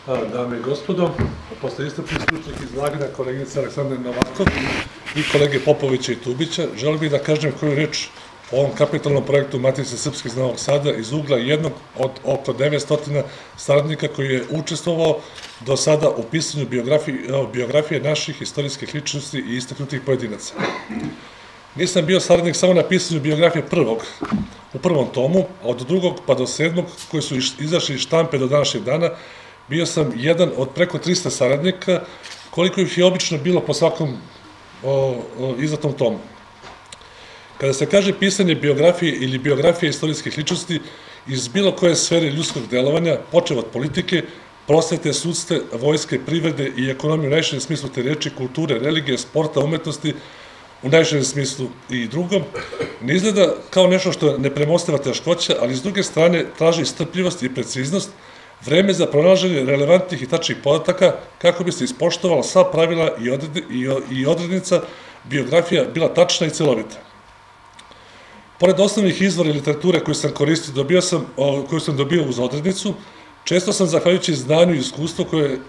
Dame i gospodo, posle iscrpnih stručnih izlaganja koleginice Aleksandre Novakov i kolege Popovića i Tubića, želim bih da kažem koju reč o ovom kapitalnom projektu Matice Srpske iz Novog Sada iz ugla jednog od oko 900 saradnika koji je učestvovao do sada u pisanju biografije naših istorijskih ličnosti i istaknutih pojedinaca. Nisam bio saradnik samo na pisanju biografije u prvom tomu, a od drugog pa do 7. koji su izašli iz štampe do današnjeg dana, bio sam jedan od preko 300 saradnika, koliko ih je obično bilo po svakom izdatom tomu. Kada se kaže pisanje biografije ili biografije istorijskih ličnosti iz bilo koje sfere ljudskog delovanja, počev od politike, prosvete, sudstva, vojske, privrede i ekonomije u najširem smislu te reči, kulture, religije, sporta, umetnosti, u najširem smislu i drugom, ne izgleda kao nešto što je nepremostiva teškoća, ali s druge strane traži strpljivost i preciznost, vreme za pronalaženje relevantnih i tačnih podataka kako bi se ispoštovala sva pravila i odrednica biografija bila tačna i celovita. Pored osnovnih izvora i literature koju sam koristio, koju sam dobio uz odrednicu, često sam, zahvaljujući znanju i iskustvu koje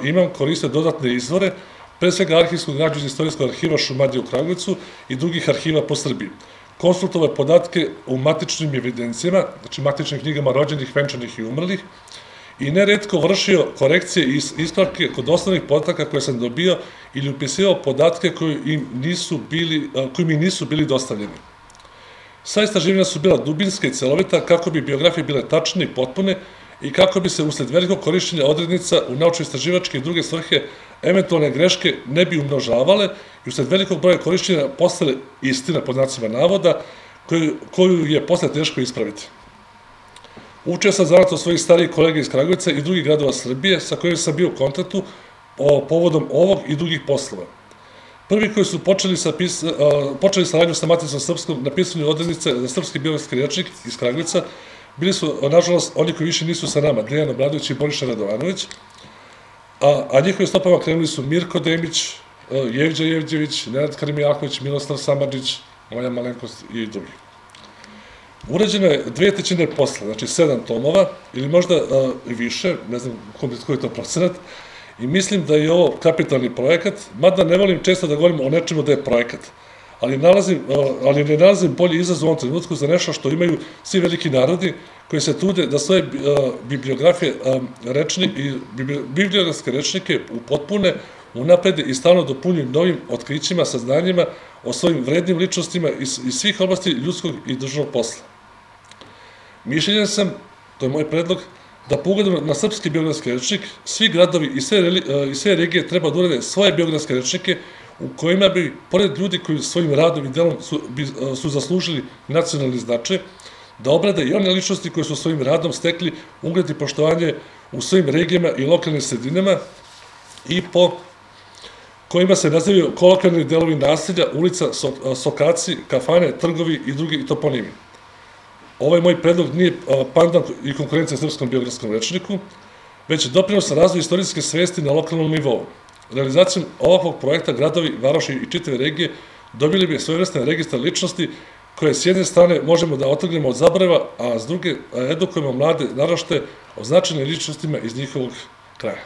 imam, koristio dodatne izvore, pre svega arhivsku građu iz Istorijskog arhiva Šumadije u Kragujevcu i drugih arhiva po Srbiji. Konsultovao podatke u matičnim evidencijama, znači matičnim knjigama rođenih, venčanih i umrlih, i neretko vršio korekcije i ispravke kod osnovnih podataka koje sam dobio ili upisivao podatke koji mi nisu bili dostavljeni. Sva istraživanja su bila dubinska i celovita kako bi biografije bile tačne i potpune i kako bi se usled velikog korišćenja odrednica u naučno-istraživačke i druge svrhe eventualne greške ne bi umnožavale i usled velikog broja korišćenja postale istina pod znacima navoda koju je posle teško ispraviti. Učio sam zanat od svojih starijih kolega iz Kragujevca i drugih gradova Srbije sa kojima sam bio u kontaktu povodom ovog i drugih poslova. Prvi koji su počeli saradnju sa Maticom Srpskom na pisanju odrednice za srpski biografski rečnik iz Kragujevca bili su, nažalost, oni koji više nisu sa nama, Dejan Obradović i Boriša Radovanović, a njihovi stopama krenuli su Mirko Demić, Jevđa Jevđević, Nenad Karimijaković, Miloslav Samardžić, moja malenkost i drugi. Urađeno je 2/3 posla, znači 7 tomova, ili možda i više, ne znam koji je to procenat, i mislim da je ovo kapitalni projekat, mada ne volim često da govorim o nečemu da je projekat, ali ne nalazim bolji izazov u ovom trenutku za nešto što imaju svi veliki narodi koji se trude da svoje bibliografske rečnike upotpune, unaprede i stalno dopunjuju novim otkrićima, saznanjima o svojim vrednim ličnostima iz svih oblasti ljudskog i državnog posla. Mišljenja sam, to je moj predlog, da po ugledu na srpski biografski rečnik svi gradovi i sve regije treba da urade svoje biografske rečnike u kojima bi, pored ljudi koji svojim radom i delom su zaslužili nacionalni značaj, da obrade i one ličnosti koje su svojim radom stekli ugled i poštovanje u svojim regijama i lokalnim sredinama i po kojima se nazivaju kolokvijalni delovi naselja, ulica, sokaci, kafane, trgovi i drugi toponimi. Ovaj moj predlog nije pandan i konkurencija srpskom biografskom rečniku, već doprinos razvoju istorijske svesti na lokalnom nivou. Realizacijom ovakvog projekta gradovi, varoši i čitave regije dobili bi svojevrsne registar ličnosti koje s jedne strane možemo da otrgnemo od zaborava, a s druge edukujemo mlade naraštaje o značajnim ličnostima iz njihovog kraja.